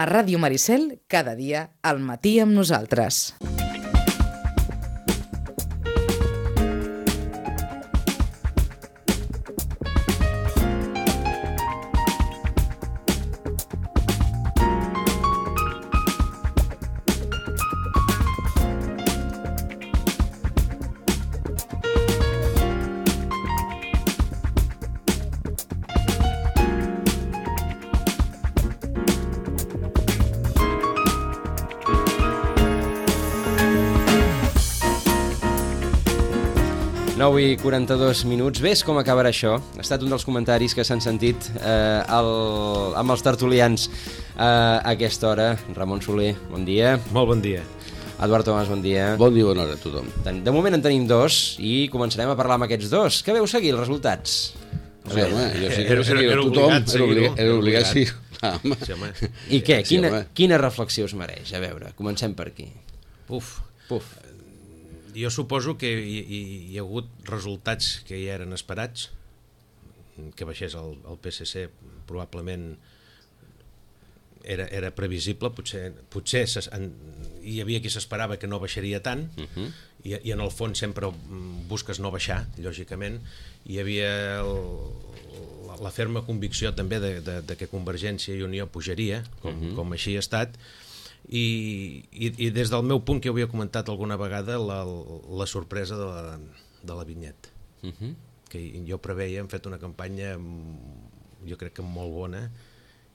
A Ràdio Maricel, cada dia, al matí amb nosaltres. I 42 minuts. Ves com acabarà això. Ha estat un dels comentaris que s'han sentit amb els tertulians a aquesta hora. Ramon Soler, bon dia. Molt bon dia. Eduard Tomàs, bon dia. Bon dia, bona hora a tothom. De moment en tenim dos i començarem a parlar amb aquests dos. Què veu seguir, els resultats? Sí, home, jo sí que veu seguir a tothom. Era obligat, sí. I què? Quina reflexió us mereix? A veure, comencem per aquí. Puf. Jo suposo que hi ha hagut resultats que ja eren esperats, que baixés el PSC probablement era previsible, potser hi havia qui s'esperava que no baixaria tant, i en el fons sempre busques no baixar, lògicament. Hi havia la ferma convicció també de que Convergència i Unió pujaria, com així ha estat. I des del meu punt, que ho havia comentat alguna vegada, la sorpresa de la vinyeta, que jo preveia, hem fet una campanya jo crec que molt bona,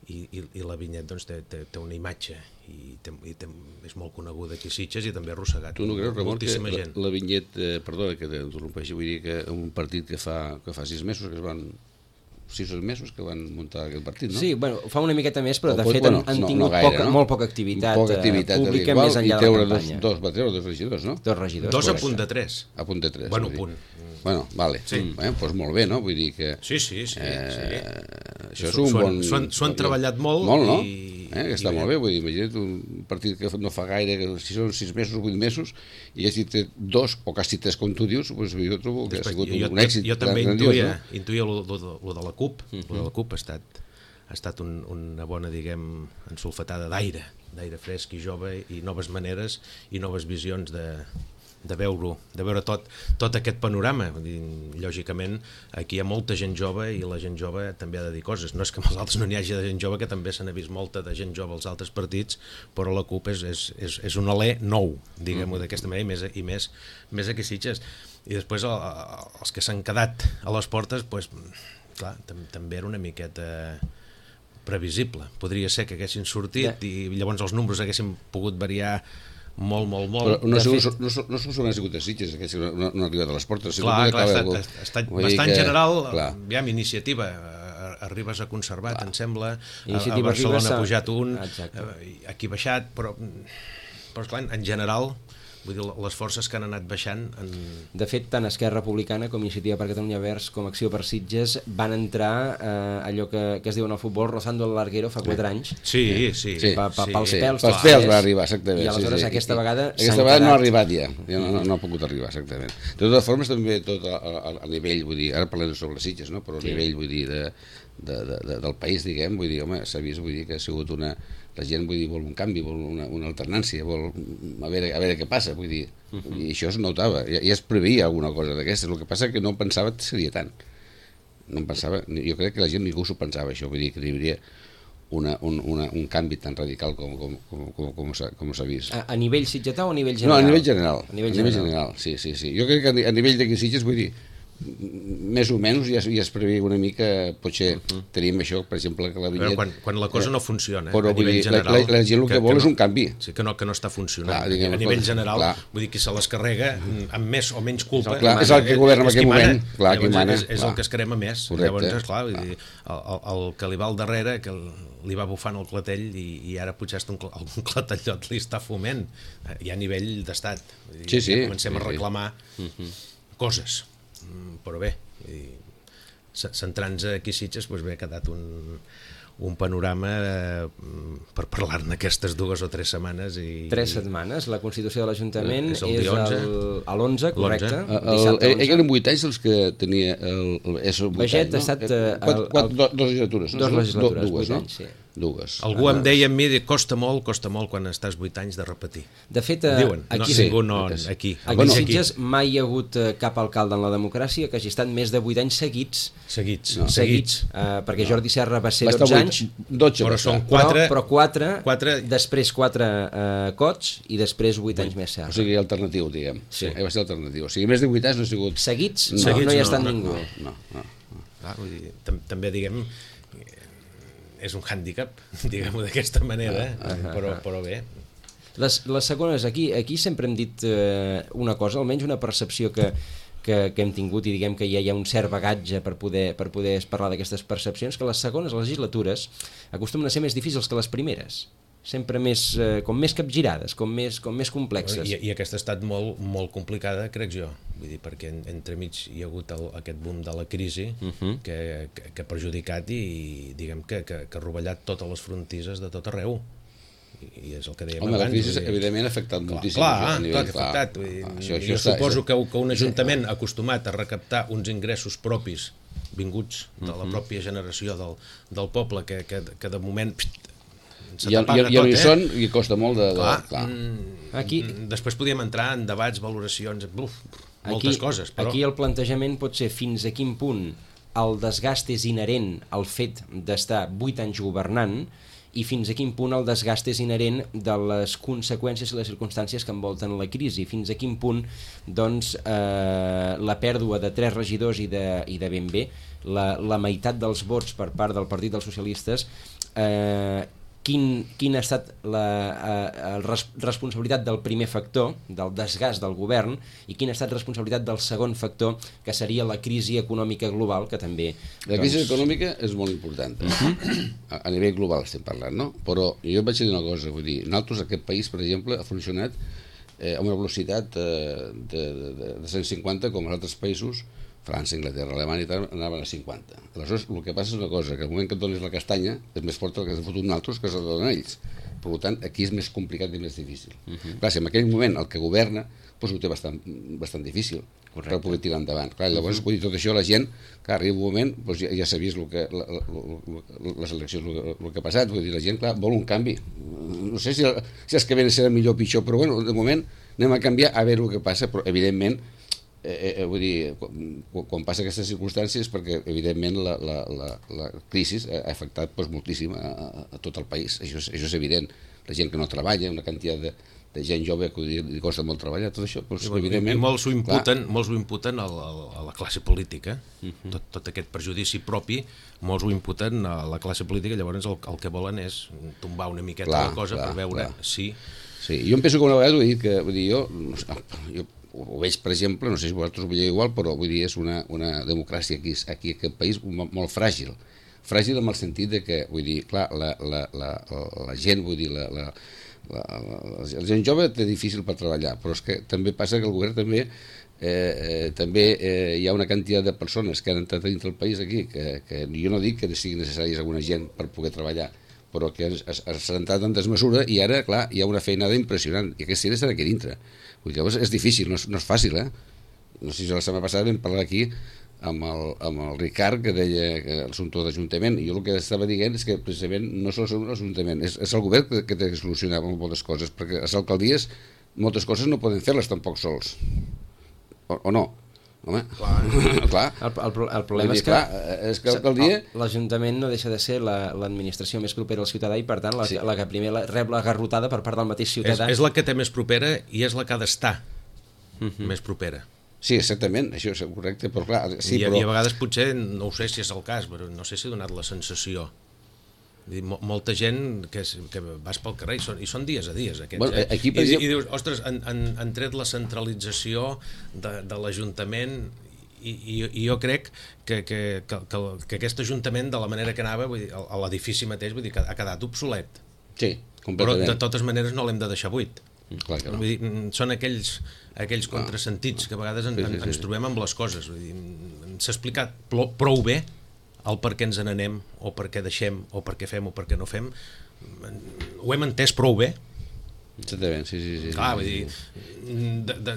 i la vinyeta doncs, té una imatge i és molt coneguda aquí a Sitges i també ha arrossegat moltíssima gent. La vinyeta, perdona que t'interrompeixi, vull dir que un partit que fa 6 mesos que es van 6 mesos que van muntar aquest partit, no? Sí, bueno, fa una miqueta més, però de fet han tingut molt poca activitat pública més enllà de la campanya. Va treure dos regidors, no? Dos regidors. 2 a punt de 3. A punt de 3. Bueno, punt. Bueno, vale. Doncs molt bé, no? Vull dir que... Sí. Això és un bon... S'ho han treballat molt. Molt, no? Que està molt bé, vull dir, imagina't un partit que no fa gaire, que si són 6 mesos o 8 mesos, i si té 2 o quasi 3, com tu dius, doncs jo trobo que ha sigut un èxit. Jo també intuïa lo de la CUP. Lo de la CUP ha estat una bona, diguem, ensolfatada d'aire fresc i jove, i noves maneres i noves visions de veure tot aquest panorama. Lògicament, aquí hi ha molta gent jove i la gent jove també ha de dir coses. No és que amb els altres no n'hi hagi de gent jove, que també se n'ha vist molta de gent jove als altres partits, però la CUP és un alè nou, diguem-ho d'aquesta manera, i més aquí a Sitges. I després els que s'han quedat a les portes, doncs, clar, també era una miqueta previsible. Podria ser que haguessin sortit i llavors els números haguessin pogut variar molt. Però no solament ha sigut a Sitges, que no han arribat a les portes. Clar, ha estat bastant general. Aviam, Iniciativa, Arribas ha conservat, em sembla, a Barcelona ha pujat un, aquí ha baixat, però clar, en general, vull dir, les forces que han anat baixant... De fet, tant Esquerra Republicana com Iniciativa per Catalunya Verds com Acció per Sitges van entrar allò que es diu en el futbol rozando el larguero fa 4 anys. Sí. Pels pèls. Pels pèls va arribar, exactament. I aleshores aquesta vegada no ha arribat ja no ha pogut arribar, exactament. De totes formes, també tot a nivell, vull dir, ara parlem sobre Sitges, no? Però a nivell, vull dir, del país, diguem, vull dir, home, s'ha vist, vull dir, que ha sigut la gent, vull dir, vol un canvi, vol una alternància, vol a veure què passa, vull dir, i això es notava, ja es preveia alguna cosa d'aquestes, el que passa que no pensava que seria tant, no em pensava, jo crec que la gent ningú s'ho pensava això, vull dir, que hi hauria un canvi tan radical com s'ha vist. A nivell sitgetà o a nivell general? No, a nivell general, sí. Jo crec que a nivell d'aquí Sitges, vull dir, més o menys ja es preveia una mica, potser tenim això, per exemple, que la vinyeta... Quan la cosa no funciona, però, a nivell general... La gent el que vol és un canvi. Sí, que no està funcionant. A nivell general, vull dir, que se les carrega amb més o menys culpa... És el que governa en aquell moment. És el que es crema més. Llavors, clar, el que li va al darrere, que li va bufant el clatell, i ara potser algun clatellot li està foment, i a nivell d'estat. Comencem a reclamar coses. Però bé, centrant-nos aquí a Sitges, doncs bé, ha quedat un panorama per parlar-ne aquestes 2 o 3 setmanes. 3 setmanes, la Constitució de l'Ajuntament és l'11, correcte. Eren 8 anys els que tenia Baget ha estat... 2 legislatures. 2 legislatures, 8 anys, sí. dues. Algú em deia a mi, costa molt quan estàs 8 anys de repetir. De fet, Diuen, aquí, no, ningú no, aquí. Aquí a Sitges mai hi ha hagut cap alcalde en la democràcia que hagi estat més de 8 anys seguits. Perquè Jordi Serra va ser 12 anys, 12, però són 4, però 4, després 4 Cots i després 8 anys més Serra. O sigui, alternatiu, diguem. Sí. Va ser alternatiu. O sigui, més de 8 anys no ha sigut... Seguits no hi ha estat ningú. No. Clar, vull dir, també, diguem, és un hàndicap, diguem-ho d'aquesta manera, però bé. Les segones, aquí sempre hem dit una cosa, almenys una percepció que hem tingut, i diguem que ja hi ha un cert bagatge per poder parlar d'aquestes percepcions, que les segones legislatures acostumen a ser més difícils que les primeres, sempre com més capgirades, com més complexes. I aquesta ha estat molt complicada, crec jo, vull dir, perquè entremig hi ha hagut aquest boom de la crisi que ha perjudicat i diguem que ha rovellat totes les frontisses de tot arreu. I és el que dèiem abans. La crisi evidentment ha afectat moltíssim. Clar que ha afectat. Jo suposo que un ajuntament acostumat a recaptar uns ingressos propis vinguts de la pròpia generació del poble, que de moment ja no hi són i costa molt de... Aquí després podíem entrar en debats, valoracions, moltes coses, però... Aquí el plantejament pot ser fins a quin punt el desgast és inherent al fet d'estar 8 anys governant i fins a quin punt el desgast és inherent de les conseqüències i les circumstàncies que envolten la crisi, fins a quin punt doncs, la pèrdua de 3 regidors i de ben bé la meitat dels vots per part del Partit dels Socialistes, quina ha estat la responsabilitat del primer factor, del desgast del govern, i quina ha estat responsabilitat del segon factor, que seria la crisi econòmica global, que també... La crisi econòmica és molt important. A nivell global estem parlant, no? Però jo vaig dir una cosa, vull dir, nosaltres aquest país, per exemple, ha funcionat a una velocitat de 150, com els altres països, França, Anglaterra, Alemanya i tal, anaven a 50. Aleshores, el que passa és una cosa, que al moment que et dones la castanya és més forta el que s'ha fotut nosaltres que se'l donen ells. Per tant, aquí és més complicat i més difícil. Clar, si en aquell moment el que governa doncs ho té bastant difícil per poder tirar endavant. Clar, llavors, vull dir, tot això la gent, clar, arriba un moment, doncs ja s'ha vist les eleccions, el que ha passat, vull dir, la gent, clar, vol un canvi. No sé si els que venen serà millor o pitjor, però bueno, de moment anem a canviar a veure el que passa, però evidentment vull dir, quan passa aquestes circumstàncies, perquè evidentment la crisi ha afectat moltíssim a tot el país, això és evident. La gent que no treballa, una quantitat de gent jove que li costa molt treballar, tot això, evidentment... I molts ho imputen a la classe política, tot aquest perjudici propi, molts ho imputen a la classe política, llavors el que volen és tombar una miqueta la cosa per veure si... Sí, jo em penso que una vegada ho he dit, que vull dir, jo ho veig, per exemple, no sé si vosaltres ho veieu igual, però vull dir, és una democràcia aquí a aquest país molt fràgil. Fràgil en el sentit de que, vull dir, clar, la gent, vull dir, la gent jove té difícil per treballar, però és que també passa que el govern també hi ha una quantitat de persones que han entrat dintre el país aquí, que jo no dic que sigui necessària alguna gent per poder treballar, però que s'ha entrat en desmesura i ara, clar, hi ha una feinada impressionant i aquesta gent estan aquí dintre. Llavors és difícil, no és fàcil, No sé si la setmana passada vam parlar aquí amb el Ricard, que deia que l'assumpte d'Ajuntament, i jo el que estava dient és que precisament no és l'Ajuntament, és el govern que té que solucionar moltes coses, perquè les alcaldies moltes coses no poden fer-les tampoc sols, o no? Home, clar. El problema és que l'alcaldia... l'Ajuntament no deixa de ser l'administració més propera al ciutadà i per tant la que primer rep la garrotada per part del mateix ciutadà. És la que té més propera i és la que ha d'estar més propera. Sí, exactament, això és correcte, però clar... Sí, I a vegades potser, no ho sé si és el cas, però no sé si ha donat la sensació. Molta gent que vas pel carrer i són dies a dies aquests, bueno, aquí, exemple... i dius, ostres, han tret la centralització de l'Ajuntament i jo crec que aquest Ajuntament, de la manera que anava, vull dir, a l'edifici mateix, vull dir, ha quedat obsolet. Sí, completament. Però de totes maneres no l'hem de deixar buit. Clar que no. Vull dir, són aquells contrasentits que a vegades ens trobem amb les coses. Vull dir, s'ha explicat prou bé el per què ens n'anem, o per què deixem, o per què fem, o per què no fem. Ho hem entès prou bé, Exactament, sí. Clar, vull dir,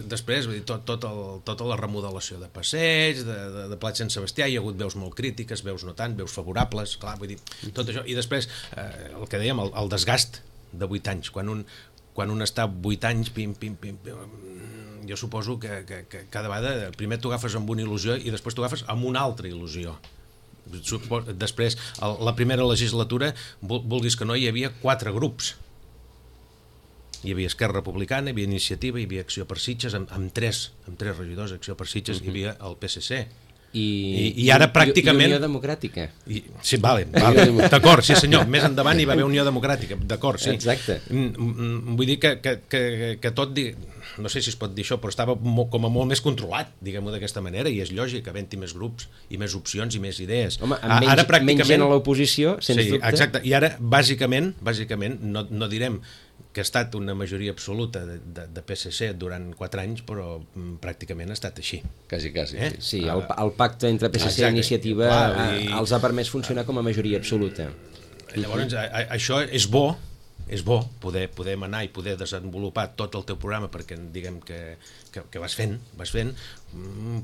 després, vull dir, tota la remodelació de passeig, de Plat Sant Sebastià, hi ha hagut veus molt crítiques, veus no tant, veus favorables, clar, vull dir, tot això. I després, el que dèiem, el desgast de 8 anys, quan un està 8 anys, jo suposo que cada vegada primer t'ho agafes amb una il·lusió i després t'ho agafes amb una altra il·lusió. Després, la primera legislatura, vulguis que no, hi havia 4 grups. Hi havia Esquerra Republicana, hi havia Iniciativa, hi havia Acció per Sitges, amb tres regidors, Acció per Sitges, hi havia el PSC. I ara pràcticament... I Unió Democràtica. Sí, vale, d'acord, sí senyor, més endavant hi va haver Unió Democràtica, d'acord, sí. Exacte. Vull dir que tot, no sé si es pot dir això, però estava com a molt més controlat, diguem-ho d'aquesta manera, i és lògic, havent-hi més grups i més opcions i més idees. Home, amb menys gent a l'oposició, sens dubte. Sí, exacte, i ara, bàsicament, no direm que ha estat una majoria absoluta de PSC durant 4 anys, però pràcticament ha estat així. Quasi. Sí, el pacte entre PSC i Iniciativa els ha permès funcionar com a majoria absoluta. Llavors, això és bo poder manar i poder desenvolupar tot el teu programa perquè diguem que vas fent,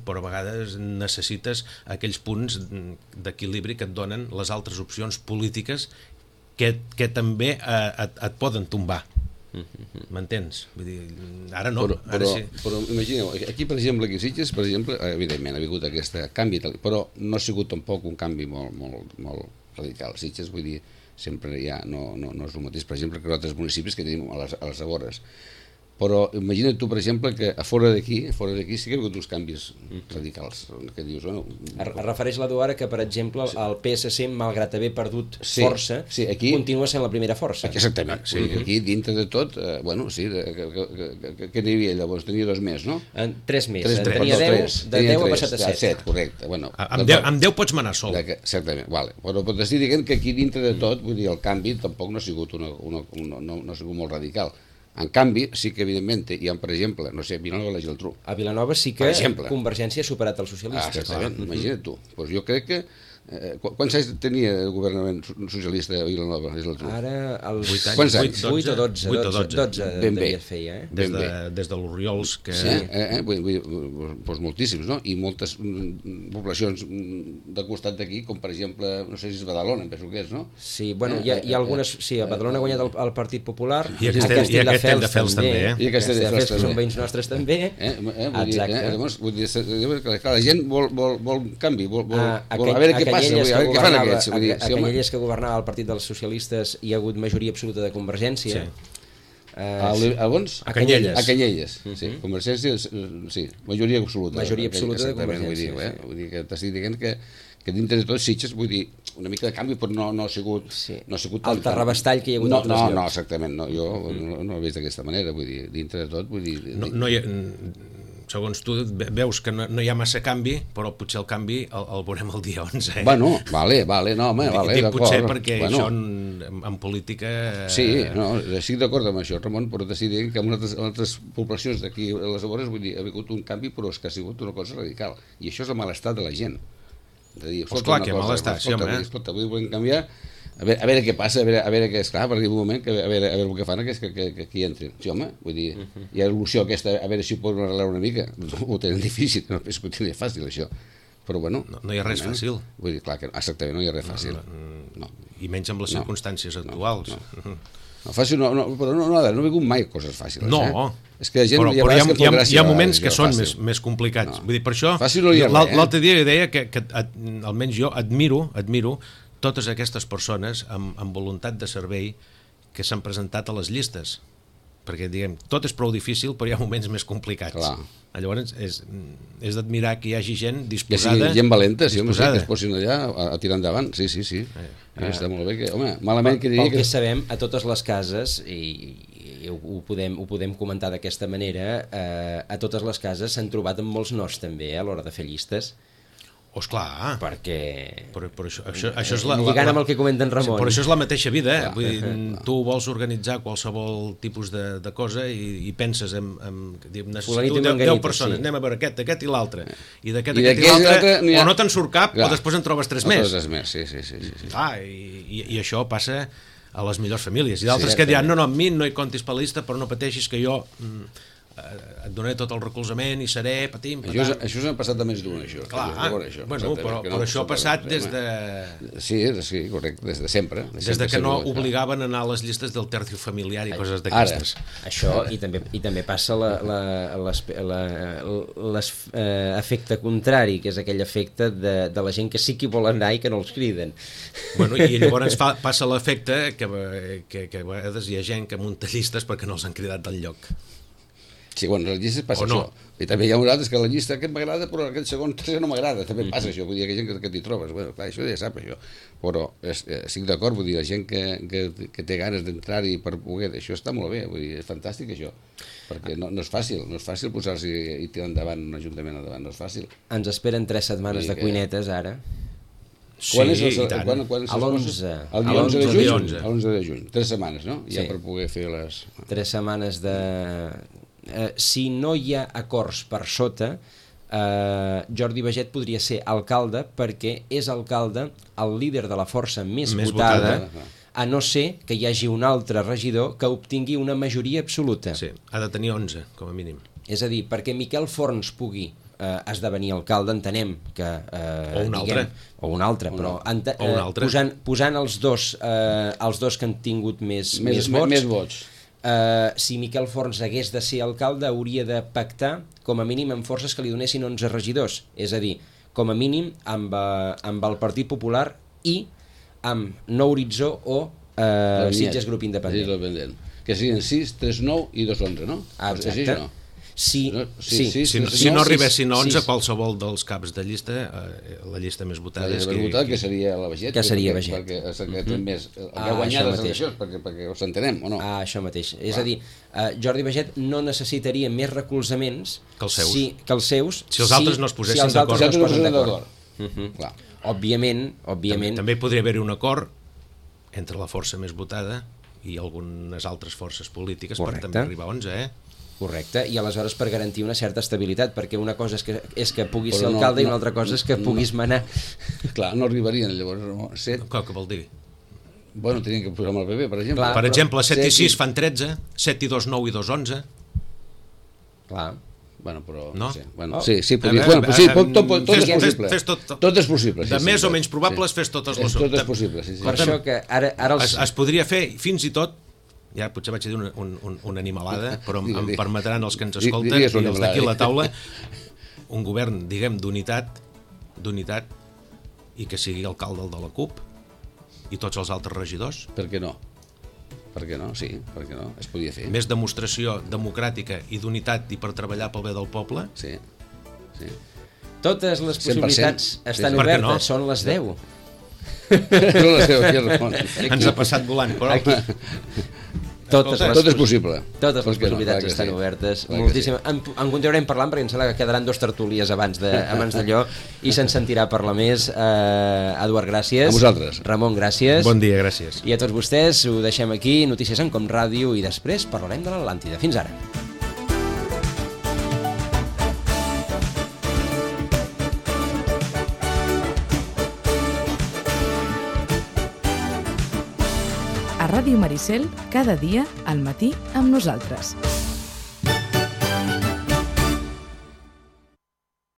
però a vegades necessites aquells punts d'equilibri que et donen les altres opcions polítiques que també et poden tombar. M'entens? Vull dir, ara no. Però imagineu, aquí per exemple, aquí a Sitges, per exemple, evidentment ha hagut aquest canvi, però no ha sigut tampoc un canvi molt radical. Sitges, vull dir, sempre ja no és el mateix, per exemple, que altres municipis que tenim a les afores. Però imagina't tu, per exemple, que a fora d'aquí sí que ha hagut uns canvis radicals. Que dius, bueno... Es refereix l'Eduard que, per exemple, el PSC, malgrat haver perdut força, continua sent la primera força. Exactament. Aquí, dintre de tot, bueno, sí, què n'hi havia llavors? Tenia 2 més, no? 3 més. Tenia 10, de 10 ha passat a 7. 7, correcte. Amb 10 pots manar sol. Exactament, vale. Però pots dir dient que aquí dintre de tot, vull dir, el canvi tampoc no ha sigut molt radical. En canvi, sí que evidentment hi ha, per exemple, no sé, Vilanova i la Geltrú. A Vilanova sí que Convergència ha superat els socialistes. Exactament, imagina't tu. Doncs jo crec que quants anys tenia el governament socialista a Vilanova i la Geltrú? Ara els 8 anys. 8 o 12 devia fer, des de l'Oriols que... Sí, doncs moltíssims, no? I moltes poblacions de costat d'aquí, com per exemple, no sé si és Badalona, em penso que és, no? Sí, bueno, hi ha algunes... Sí, a Badalona ha guanyat el Partit Popular, i a Castelldefels també. I a Castelldefels que són veïns nostres també. Exacte. Llavors, vull dir que la gent vol canvi, vol a veure què passa, a veure què fan aquests. A Canyelles, que governava el Partit dels Socialistes, hi ha hagut majoria absoluta de Convergència. A Canyelles, sí. Convergència, sí, majoria absoluta. Majoria absoluta de Convergència. Vull dir que t'estic dient que dintre de tot Sitges, vull dir, una mica de canvi, però no ha sigut el terrabastall que hi ha hagut altres llocs. No, exactament, jo no ho he vist d'aquesta manera, vull dir, dintre de tot, vull dir... Segons tu veus que no hi ha massa canvi, però potser el canvi el veurem el dia 11. Bueno, vale, no, home, vale, d'acord. Potser perquè això en política... Sí, no, estic d'acord amb això, Ramon, però t'estic dient que en altres poblacions d'aquí a les afores, vull dir, ha hagut un canvi, però és que ha sigut una cosa radical. I això és el malestar de la gent. De dir, clar que malestar, sí, home. Escolta, vull canviar... A veure què passa, a veure què és clar, per dir un moment, a veure el que fan que aquí entrin. Sí, home, vull dir, hi ha l'il·lusió aquesta, a veure si ho poden arreglar una mica, ho tenen difícil, no penso que ho tenen fàcil, això. Però bueno... No hi ha res fàcil. Vull dir, clar que exactament, no hi ha res fàcil. I menys amb les circumstàncies actuals. No, fàcil no, però no he vingut mai coses fàcils. No, és que la gent però hi ha moments que són més complicats. Vull dir, per això, l'altre dia deia que almenys jo admiro totes aquestes persones amb voluntat de servei que s'han presentat a les llistes, perquè diguem, tot és prou difícil, però hi ha moments més complicats. Clar. Llavors és d'admirar que hi hagi gent disposada. Gent valenta, sí, que es posin allà a tirar endavant, sí. Està molt bé que, home, malament que diria que... Pel que sabem, a totes les cases, i ho podem comentar d'aquesta manera, a totes les cases s'han trobat amb molts nos també a l'hora de fer llistes. Esclar, perquè... Però això és lligant amb el que comenta en Ramon. Però això és la mateixa vida, eh? Vull dir, tu vols organitzar qualsevol tipus de cosa i penses necessito 10 persones, anem a veure aquest i l'altre, i d'aquest i l'altre, o no te'n surt cap, o després en trobes 3 més. Sí. I això passa a les millors famílies, i d'altres que diran, no, amb mi no hi comptis per la llista, però no pateixis que jo et donaré tot el recolzament i seré patim, patam. Això s'ha passat de més d'un, això. Clar, bueno, però això ha passat des de... Sí, correcte, des de sempre. Des de que no obligaven a anar a les llistes del tercio familiar i coses d'aquestes. Això, i també passa l'efecte contrari, que és aquell efecte de la gent que sí que vol anar i que no els criden. Bueno, i llavors passa l'efecte que a vegades hi ha gent que munta llistes perquè no els han cridat del lloc. Sí, bueno, a les llistes passa això. I també hi ha altres que la llista aquest m'agrada, però aquest segon tercer no m'agrada. També passa això, vull dir, que hi ha gent que t'hi trobes. Bueno, clar, això ja sap, això. Però estic d'acord, vull dir, la gent que té ganes d'entrar-hi per poder... Això està molt bé, vull dir, és fantàstic, això. Perquè no és fàcil, posar-s'hi i tirar endavant un ajuntament endavant, no és fàcil. Ens esperen 3 setmanes de cuinetes, ara. Sí, i tant. A l'11. El 11 de juny. A l'11 de juny. 3 setmanes, no? Ja per poder fer les... 3 setmanes de... si no hi ha acords per sota, Jordi Baget podria ser alcalde perquè és alcalde el líder de la força més votada, a no ser que hi hagi un altre regidor que obtingui una majoria absoluta. Sí, ha de tenir 11, com a mínim. És a dir, perquè Miquel Forns pugui esdevenir alcalde, entenem que... o un altre. Però posant els dos que han tingut més vots, si Miquel Forns hagués de ser alcalde, hauria de pactar com a mínim amb forces que li donessin 11 regidors, és a dir, com a mínim amb el Partit Popular i amb Nou Horitzó o Sitges Grup Independent. Que siguin 6, 3, 9 i 2, 11, no? Exacte. Si no arribessin a 11, qualsevol dels caps de llista, la llista més votada que seria la Baget, perquè ha guanyat les eleccions, perquè us entenem o no? Això mateix, és a dir, Jordi Baget no necessitaria més recolzaments que els seus, si els altres no es posessin d'acord. Òbviament també podria haver-hi un acord entre la força més votada i algunes altres forces polítiques per també arribar a 11, Correcte, i aleshores per garantir una certa estabilitat, perquè una cosa és que puguis ser alcalde i una altra cosa és que puguis manar. Clar, no arribarien llavors 7. Què vol dir? Bueno, tenien que posar amb el PP, per exemple. Per exemple, 7 i 6 fan 13, 7 i 2, 9 i 2, 11. Clar. Bueno, però... No? Sí, tot és possible. Tot és possible. De més o menys probables, fes totes les... Tot és possible, sí. Per això que ara... Es podria fer, fins i tot, ja potser vaig dir una animalada, però em permetran els que ens escolten i els d'aquí a la taula, un govern, diguem, d'unitat, i que sigui alcalde de la CUP i tots els altres regidors. Per què no? Sí, per què no? Es podia fer. Més demostració democràtica i d'unitat i per treballar pel bé del poble. Sí. Totes les possibilitats estan obertes, són les 10. Ens ha passat volant, però... Tot és possible. Totes les possibilitats estan obertes. Moltíssim. En continuarem parlant perquè em sembla que quedaran 2 tertúlies abans d'allò i se'n sentirà parlar més. Eduard, gràcies. A vosaltres. Ramon, gràcies. Bon dia, gràcies. I a tots vostès ho deixem aquí, Notícies en Com Ràdio, i després parlarem de l'Atlàntida. Fins ara. A Ràdio Maricel, cada dia al matí amb nosaltres.